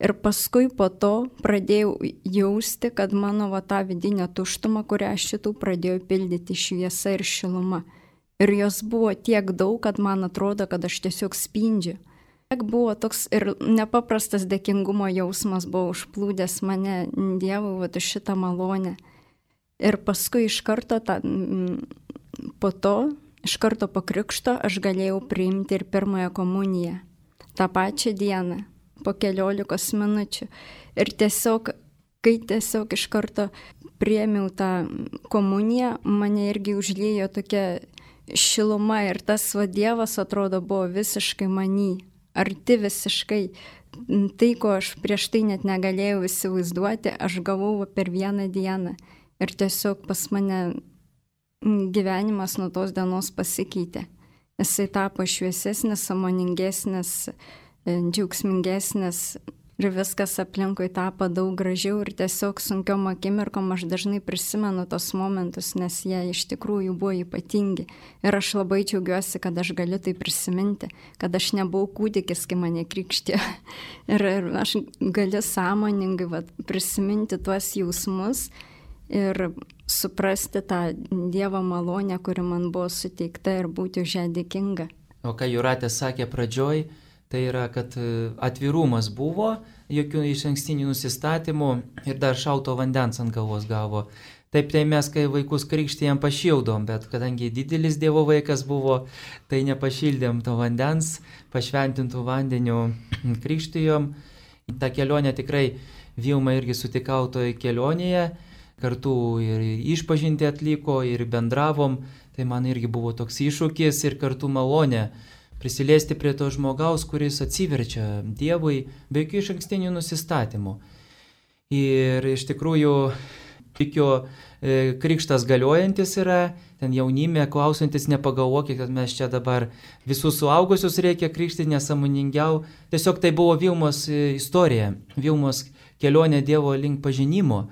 Ir paskui po to pradėjau jausti, kad mano va tą vidinę tuštumą, kurią aš šitų pradėjau pildyti šviesa ir šiluma. Ir jos buvo tiek daug, kad man atrodo, kad aš tiesiog spindžiu. Tiek buvo toks ir nepaprastas dėkingumo jausmas buvo užplūdęs mane Dievui va šitą malonę. Ir paskui iš karto, ta, po to, iš karto po krikšto, aš galėjau priimti ir pirmąją komuniją. tą pačią dieną, po keliolikos minučių. Ir tiesiog, kai tiesiog iš karto priėmiau tą komuniją, mane irgi užliejo tokia šiluma ir tas va Dievas atrodo buvo visiškai manį, arti visiškai. Tai, ko aš prieš tai net negalėjau įsivaizduoti, aš gavau per vieną dieną. Ir tiesiog pas mane gyvenimas nuo tos dienos pasikeitė. Jisai tapo šviesesnis, sąmoningesnis, džiaugsmingesnis ir viskas aplinkui tapo daug gražiau ir tiesiog sunkiom akimirkom aš dažnai prisimenu tos momentus, nes jie iš tikrųjų buvo ypatingi. Ir aš labai džiaugiuosi, kad aš galiu tai prisiminti, kad aš nebuvau kūdikis, kai mane krikštė. Ir, ir aš galiu sąmoningai va, prisiminti tuos jausmus ir suprasti tą Dievo malonę, kuri man buvo suteikta ir būti už ją dėkinga.
O ką Jūratė sakė pradžioj, tai yra, kad atvirumas buvo, jokių išankstinių nusistatymų ir dar šalto vandens ant galvos gavo. Taip, tai mes, kai vaikus krikštėjom, pašildom, bet kadangi didelis Dievo vaikas buvo, tai nepašildėm to vandens, pašventintų vandeniu krikštijom. Ta kelionė tikrai, Vilma irgi sutikau toje kelionėje, kartu ir išpažinti atliko, ir bendravom, tai man irgi buvo toks iššūkis ir kartu malonė prisiliesti prie to žmogaus, kuris atsiverčia Dievui be jokių išankstinių nusistatymų. Ir iš tikrųjų, tikiu, krikštas galiojantis yra, ten jaunime klausantis, nepagalvokit, kad mes čia dabar visus suaugusius reikia krikštyti, nesąmoningiau. Tiesiog tai buvo Vilmos istorija, Vilmos kelionė Dievo link pažinimo.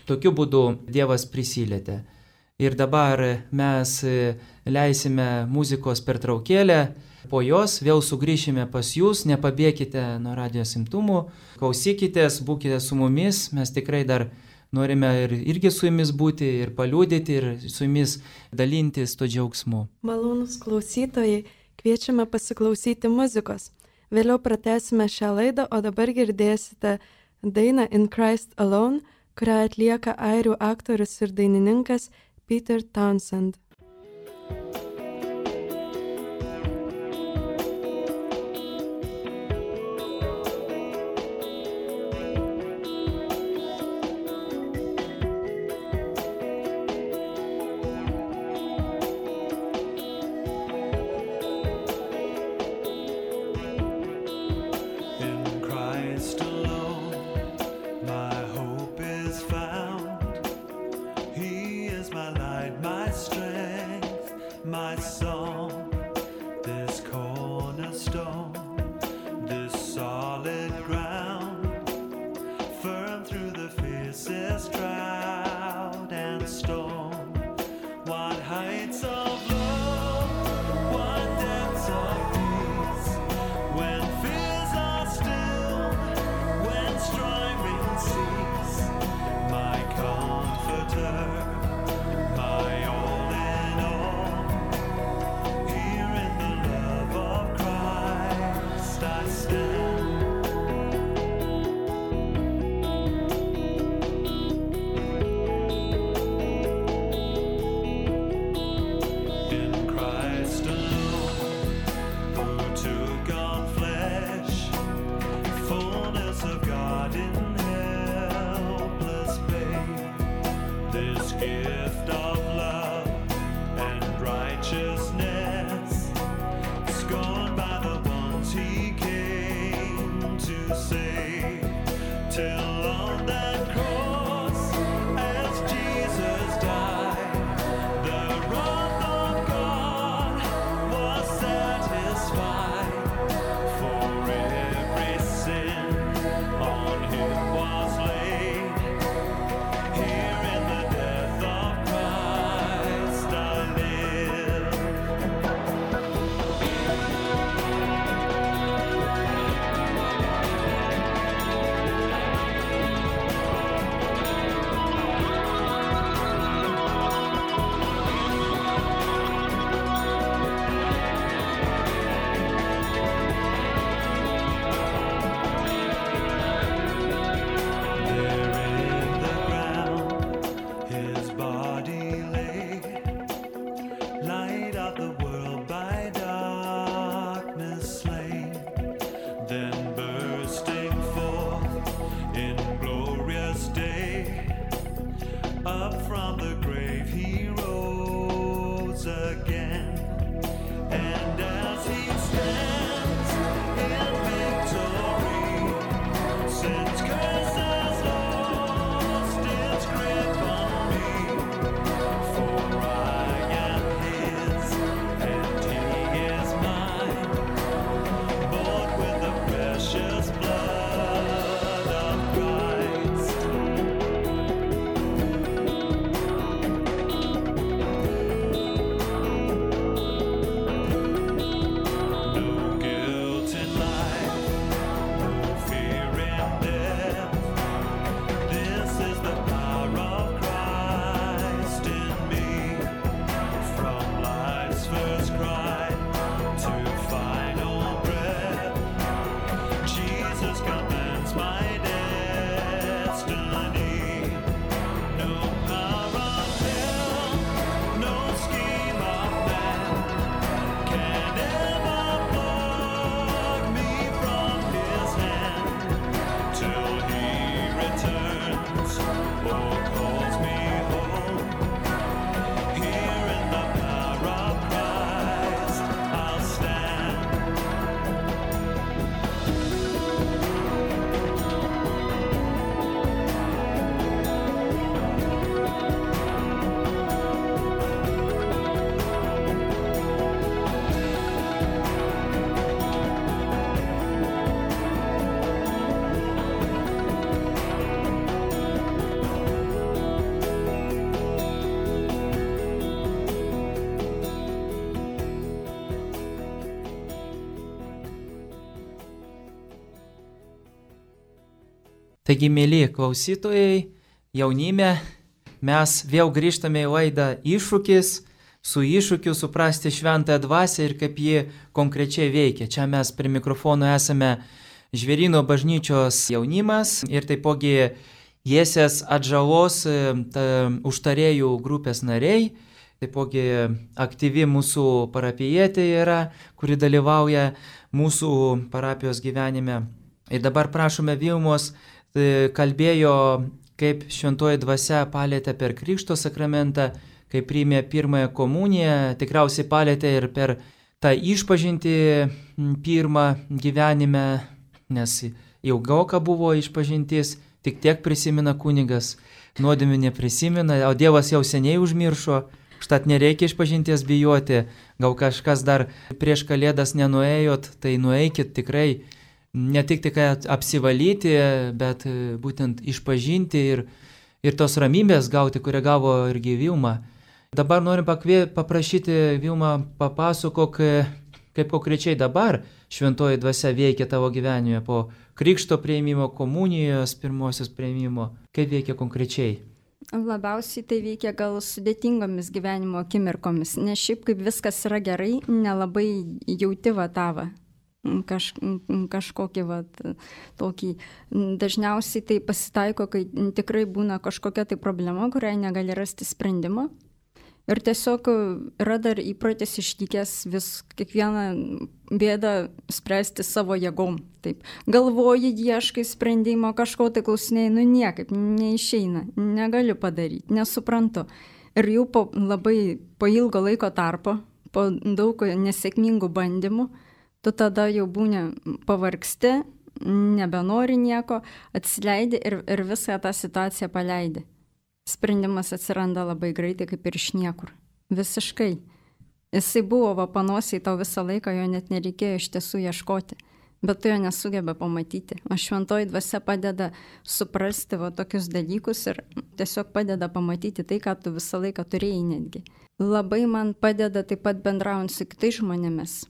Tokiu būdu Dievas prisilietė. Ir dabar mes leisime muzikos pertraukėlę, po jos vėl sugrįšime pas jūs, nepabėkite nuo radijos imtumų, klausykitės, būkite su mumis, mes tikrai dar norime ir, irgi su jumis būti ir paliūdyti ir su jumis dalintis to džiaugsmu.
Malonūs klausytojai, kviečiame pasiklausyti muzikos. Vėliau pratęsime šią laidą, o dabar girdėsite dainą In Christ Alone, kurią atlieka airių aktorius ir dainininkas Peter Townsend.
Here in the death of Christ. Up from the grave he rose again, and as he stands in victory, since curse has lost its grip on me, for I am his and he is mine, bought with the precious blood of Christ. No guilt in life, no fear in death. This is the power of Christ in me. From life's first cry to final breath, Jesus commands my destiny. No power of hell, no scheme of man can ever pluck me from his hand till he returns or calls me home. Here in the power of Christ I'll stand.
Taigi, mėly klausytojai, jaunime, mes vėl grįžtame į laidą Iššūkis, su iššūkiu suprasti šventąją dvasią ir kaip ji konkrečiai veikia. Čia mes prie mikrofono esame Žvėryno bažnyčios jaunimas ir taipogi Jiesės atžalos ta, užtarėjų grupės nariai, taipogi aktyvi mūsų parapijietė yra, kuri dalyvauja mūsų parapijos gyvenime. Ir dabar prašome Vilmos, kalbėjo, kaip šventoji dvasia palėtė per Krikšto sakramentą, kai priėmė pirmąją komuniją, tikriausiai palėtė ir per tą išpažintį pirmą gyvenime, nes ilgoka buvo išpažintis, tik tiek prisimena kunigas, nuodėmių neprisimena, o Dievas jau seniai užmiršo, štat nereikia išpažinties bijoti, gal kažkas dar prieš Kalėdas nenuėjot, tai nueikit tikrai. Ne tik tik apsivalyti, bet būtent išpažinti ir, ir tos ramybės gauti, kurią gavo irgi Vilma. Dabar norim pakvė, paprašyti Vilma papasakok, kaip konkrečiai dabar šventoji dvasia veikia tavo gyvenime po krikšto priėmimo, komunijos pirmosios priėmimo. Kaip veikia konkrečiai?
Labiausiai tai veikia gal sudėtingomis gyvenimo akimirkomis, nes šiaip kaip viskas yra gerai, nelabai jauti va tavą. Kaž, kažkokį vat, tokį. Dažniausiai tai pasitaiko, kai tikrai būna kažkokia tai problema, kuriai negali rasti sprendimą. Ir tiesiog yra dar įprotis ištikęs vis kiekvieną bėdą spręsti savo jėgom. Taip. Galvoji, ieškai sprendimo, kažko tai klausinėjai, nu niekaip, neišeina, negaliu padaryti, nesuprantu. Ir jau po labai po ilgo laiko tarpo, po daug nesėkmingų bandymų, tu tada jau būni pavargsti, nebenori nieko, atsileidi ir, ir visą tą situaciją paleidi. Sprendimas atsiranda labai greitai, kaip ir iš niekur. Visiškai. Jisai buvo va panosiai tau visą laiką, jo net nereikėjo iš tiesų ieškoti, bet tu jo nesugeba pamatyti. O šventoji dvasia padeda suprasti va tokius dalykus ir tiesiog padeda pamatyti tai, ką tu visą laiką turėjai netgi. Labai man padeda taip pat bendraujant su kitais žmonėmis.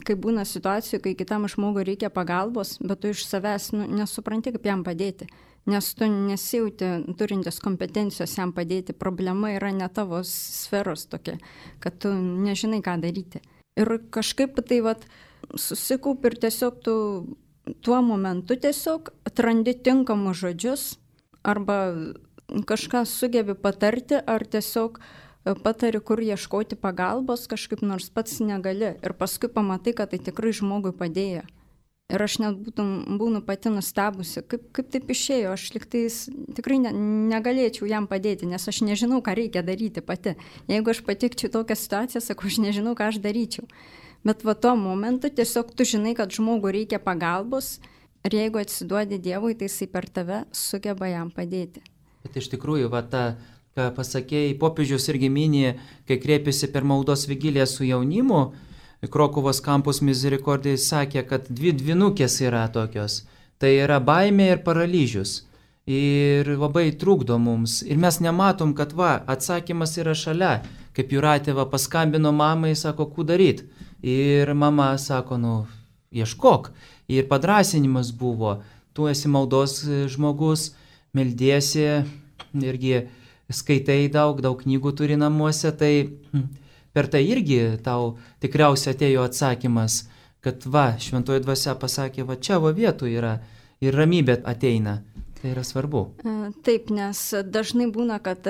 Kai būna situacijų, kai kitam žmogui reikia pagalbos, bet tu iš savęs nu, nesupranti, kaip jam padėti, nes tu nesijauti turintis kompetencijos jam padėti. Problema yra ne tavo sferos tokia, kad tu nežinai, ką daryti. Ir kažkaip tai vat, susikaup ir tiesiog tu tuo momentu tiesiog atrandi tinkamus žodžius arba kažką sugebi patarti ar tiesiog patari, kur ieškoti pagalbos, kažkaip nors pats negali. Ir paskui pamatai, kad tai tikrai žmogui padėjo. Ir aš net būtum, būnu pati nustebusi, kaip, kaip taip išėjo, aš liktais tikrai ne, negalėčiau jam padėti, nes aš nežinau, ką reikia daryti pati. Jeigu aš patikčiau tokią situaciją, sakau, aš nežinau, ką aš daryčiau. Bet va tuo momentu tiesiog tu žinai, kad žmogui reikia pagalbos ir jeigu atsiduodi Dievui, tai jisai per tave sugeba jam padėti.
Bet iš tikrųjų, va ta, ką pasakėjai, popiežius irgi minė, kai kreipėsi per maldos vigiliją su jaunimu, Krokuvos kampus Misericordijai sakė, kad dvi dvinukės yra tokios. Tai yra baimė ir paralyžius. Ir labai trukdo mums. Ir mes nematom, kad va, atsakymas yra šalia. Kaip Jūratė va paskambino mamai, sako, ką daryt. Ir mama sako, nu, ieškok. Ir padrasinimas buvo. Tu esi maldos žmogus, meldiesi, irgi skaitai daug, daug knygų turi namuose, tai per tai irgi tau tikriausiai atėjo atsakymas, kad va, šventoji dvasia pasakė, va čia va vietų yra ir ramybė ateina. Tai yra svarbu.
Taip, nes dažnai būna, kad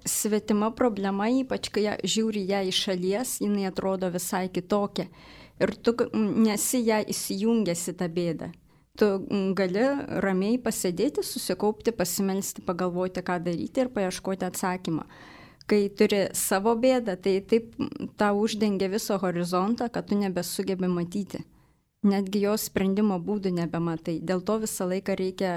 svetima problema, ypač kai žiūri ją iš šalies, jinai atrodo visai kitokia. Ir tu nesi ją įsijungęs į tą bėdą. Tu gali ramiai pasėdėti, susikaupti, pasimelsti, pagalvoti, ką daryti ir paieškoti atsakymą. Kai turi savo bėdą, tai taip tau uždengia viso horizontą, kad tu nebesugebi matyti. Netgi jos sprendimo būdų nebematai. Dėl to visą laiką reikia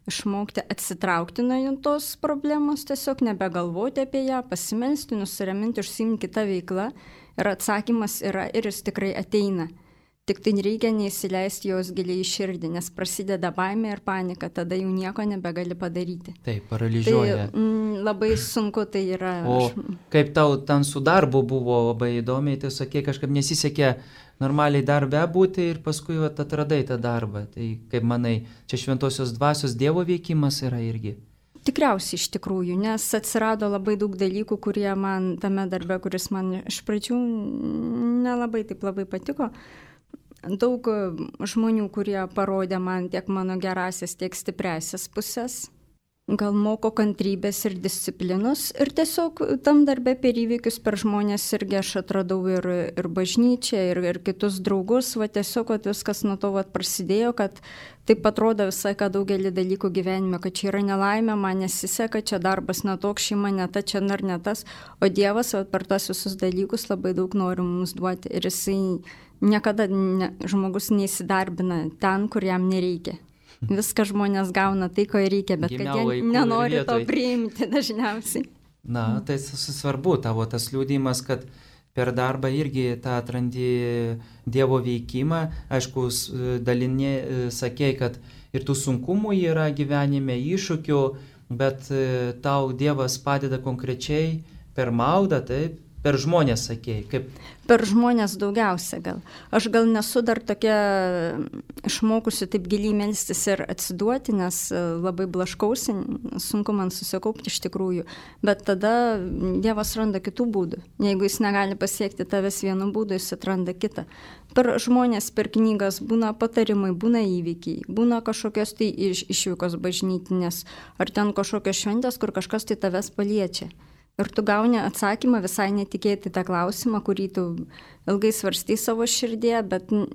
išmokti atsitraukti nuo tos problemos, tiesiog nebegalvoti apie ją, pasimelsti, nusiraminti, užsiimti kitą veiklą ir atsakymas yra ir jis tikrai ateina. Tik tai reikia neįsileisti jos giliai į širdį, nes prasideda baimė ir panika, tada jau nieko nebegali padaryti.
Taip, paralyžiuoja.
Tai mm, labai sunku tai yra.
O kaip tau ten su darbu buvo labai įdomiai, tai sakė, kažkaip nesisekė normaliai darbe būti ir paskui vat, atradai tą darbą. Tai kaip manai, čia šventosios dvasios Dievo veikimas yra irgi?
Tikriausiai iš tikrųjų, nes atsirado labai daug dalykų, kurie man tame darbe, kuris man iš pradžių nelabai taip labai patiko. Daug žmonių, kurie parodė man tiek mano gerasias, tiek stipresias pusės. Gal moko kantrybės ir disciplinos. Ir tiesiog tam darbe per įvykius, per žmonės irgi aš atradau ir, ir bažnyčią, ir, ir kitus draugus. Va tiesiog va, viskas nuo to va, prasidėjo, kad taip atrodo visai, kad daugelį dalykų gyvenime, kad čia yra nelaimė, man nesiseka, čia darbas netoks, šeima ne ta, čia ar ne tas. O Dievas va, per tas visus dalykus labai daug nori mums duoti. Ir jisai niekada ne, žmogus neįsidarbina ten, kur jam nereikia. Viską žmonės gauna tai, ko reikia, bet
Gimiau
kad jie nenori to priimti dažniausiai.
Na, tai svarbu tavo tas liūdimas, kad per darbą irgi tą atrandi Dievo veikimą. Aišku, dalinė sakei, kad ir tų sunkumų yra gyvenime, iššūkių, bet tau Dievas padeda konkrečiai per maldą, taip? Per žmonės, sakėjai, kaip?
Per žmonės daugiausia gal. Aš gal nesu dar tokia išmokusi taip giliai melstis ir atsiduoti, nes labai blaškausi, sunku man susikaupti iš tikrųjų. Bet tada Dievas randa kitų būdų. Jeigu jis negali pasiekti tavęs vienu būdu, jis atranda kitą. Per žmonės, per knygas būna patarimai, būna įvykiai, būna kažkokios tai iš, išvykos bažnytinės, ar ten kažkokios šventės, kur kažkas tai tavęs paliečia. Ir tu gauni atsakymą visai netikėtai tą klausimą, kurį tu ilgai svarstei savo širdėje, bet nu,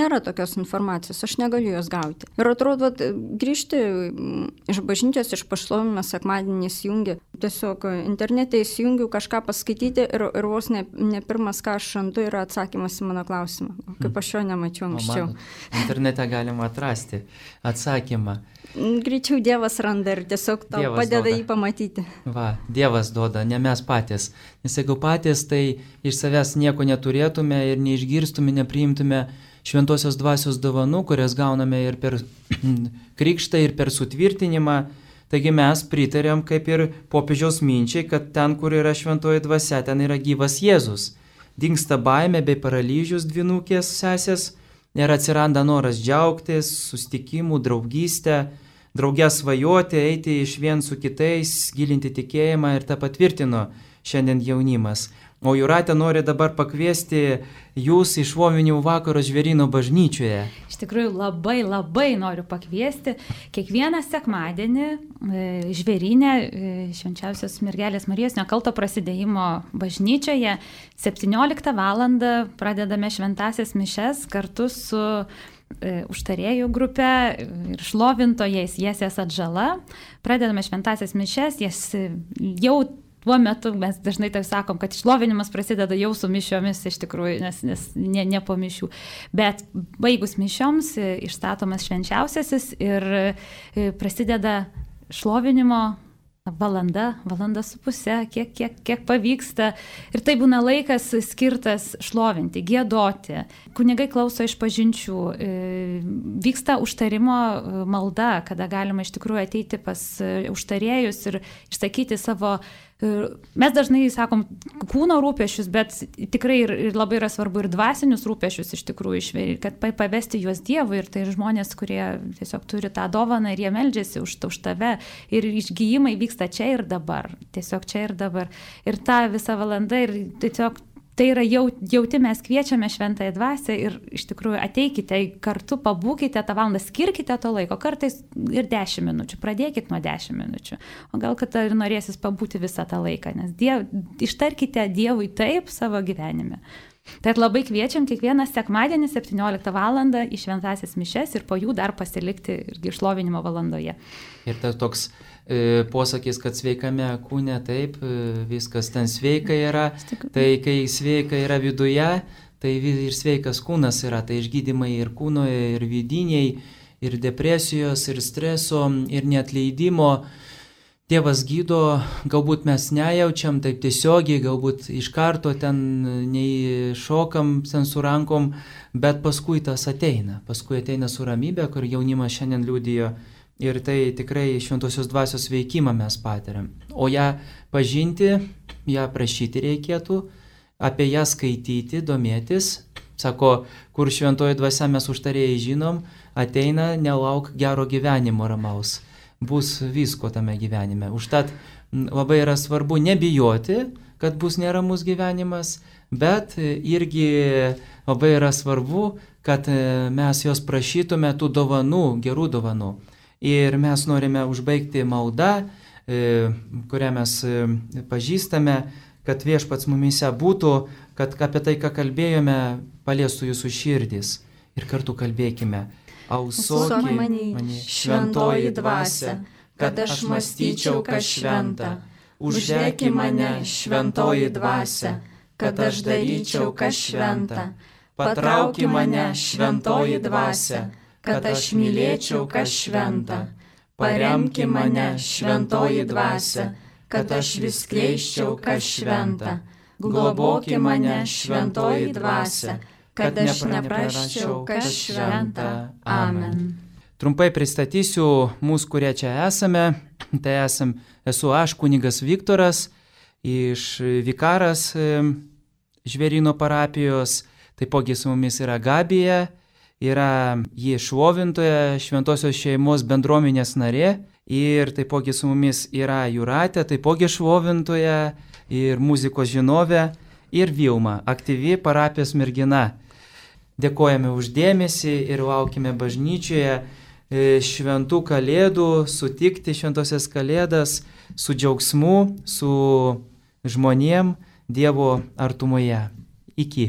nėra tokios informacijos, aš negaliu jos gauti. Ir atrodo, grįžti iš bažnyčios, iš pašlovinimo sekmadienį įsijungi, tiesiog internete įsijungiu kažką paskaityti ir, ir vos ne, ne pirmas, ką aš randu, yra atsakymas į mano klausimą, kaip aš jo nemačiau anksčiau.
Internete galima atrasti atsakymą.
Greičiau Dievas randa ir tiesiog tau Dievas padeda duoda. Jį pamatyti.
Va, Dievas duoda, ne mes patys. Nes jeigu patys, tai iš savęs nieko neturėtume ir neišgirstume, nepriimtume šventosios dvasios dovanų, kurias gauname ir per krikštą, ir per sutvirtinimą. Taigi mes pritarėm kaip ir popiežiaus minčiai, kad ten, kur yra šventoji dvasia, ten yra gyvas Jėzus. Dingsta baimė bei paralyžius dvinukės sesės. Ir atsiranda noras džiaugtis, susitikimų, draugystę, draugę svajoti, eiti iš vien su kitais, gilinti tikėjimą ir tą patvirtino šiandien jaunimas. O Jūratė nori dabar pakviesti jūs į šlovinimų vakaro Žvėryno bažnyčioje.
Iš tikrųjų labai labai noriu pakviesti kiekvieną sekmadienį Žvėryne Švenčiausios Mergelės Marijos Nekalto prasidėjimo bažnyčioje septynioliktą valandą pradedame šventąsias mišias kartu su užtarėjų grupė ir šlovintojais Jesės Atžala. Pradedame šventąsias mišias, jas jau tuo metu mes dažnai taip sakom, kad šlovinimas prasideda jau su mišiomis iš tikrųjų, nes, nes ne, ne po mišių. Bet baigus mišioms išstatomas švenčiausiasis ir prasideda šlovinimo valanda, valanda su pusė, kiek, kiek, kiek pavyksta. Ir tai būna laikas skirtas šlovinti, giedoti. Kunigai klauso išpažinčių, vyksta užtarimo malda, kada galima iš tikrųjų ateiti pas užtarėjus ir išsakyti savo, mes dažnai sakom, kūno rūpešius, bet tikrai ir, ir labai yra svarbu ir dvasinius rūpešius iš tikrųjų išveri, kad pavesti juos Dievui. Ir tai žmonės, kurie tiesiog turi tą dovaną ir jie meldžiasi už, už tave. Ir išgyjimai vyksta čia ir dabar. Tiesiog čia ir dabar. Ir ta visa valanda ir tiesiog tai yra jau, jauti, mes kviečiame šventąją dvasią ir iš tikrųjų ateikite kartu, pabūkite tą valandą, skirkite to laiko, kartais ir dešimt minučių, pradėkit nuo dešimt minučių, o gal kad ir norėsis pabūti visą tą laiką, nes diev, ištarkite Dievui taip savo gyvenime. Tai labai kviečiam kiekvieną sekmadienį septynioliktą valandą į šventąsias mišias ir po jų dar pasilikti irgi šlovinimo valandoje.
Ir tas toks e, posakis, kad sveikame kūne, taip, e, viskas ten sveika yra, tai kai sveika yra viduje, tai ir sveikas kūnas yra, tai išgydymai ir kūno, ir vidiniai, ir depresijos, ir streso, ir neatleidimo. Dievas gydo, galbūt mes nejaučiam taip tiesiogiai, galbūt iš karto ten nei šokam ten su rankom, bet paskui tas ateina, paskui ateina su ramybė, kur jaunimas šiandien liudijo ir tai tikrai šventosios dvasios veikimą mes patiriam. O ją pažinti, ją prašyti reikėtų, apie ją skaityti, domėtis. Sako, kur šventoji dvasia mes užtarėjai žinom, ateina, nelauk gero gyvenimo ramaus. Bus visko tame gyvenime. Užtat labai yra svarbu nebijoti, kad bus neramus gyvenimas, bet irgi labai yra svarbu, kad mes jos prašytume tų dovanų, gerų dovanų. Ir mes norime užbaigti maldą, kurią mes pažįstame, kad Viešpats mumyse būtų, kad apie tai, ką kalbėjome, paliestų jūsų širdis. Ir kartu kalbėkime. Ausuok mani, šventoji dvasia, kad aš mąstyčiau, kas šventa. Uždeki mane, šventoji dvasia, kad aš daryčiau, kas šventa. Patrauki mane, šventoji dvasia, kad aš mylėčiau, kas šventa. Paremki mane, šventoji dvasia, kad aš vis skleisčiau, kas šventa. Globoki mane, šventoji dvasia, kad aš neprasčiau, kas šventa. Amen. Trumpai pristatysiu mūsų, kurie čia esame. Tai esam, esu aš, kunigas Viktoras, iš vikaras Žvėryno parapijos. Taipogi su mumis yra Gabija, yra ji šlovintoja, šventosios šeimos bendruomenės narė. Ir taipogi su mumis yra Jūratė, taipogi šlovintoja ir muzikos žinovė. Ir Vilma, aktyvi parapijos mergina. Dėkojame uždėmesį ir laukime bažnyčioje šventų kalėdų, sutikti šventosias kalėdas su džiaugsmu, su žmonėm Dievo artumoje. Iki.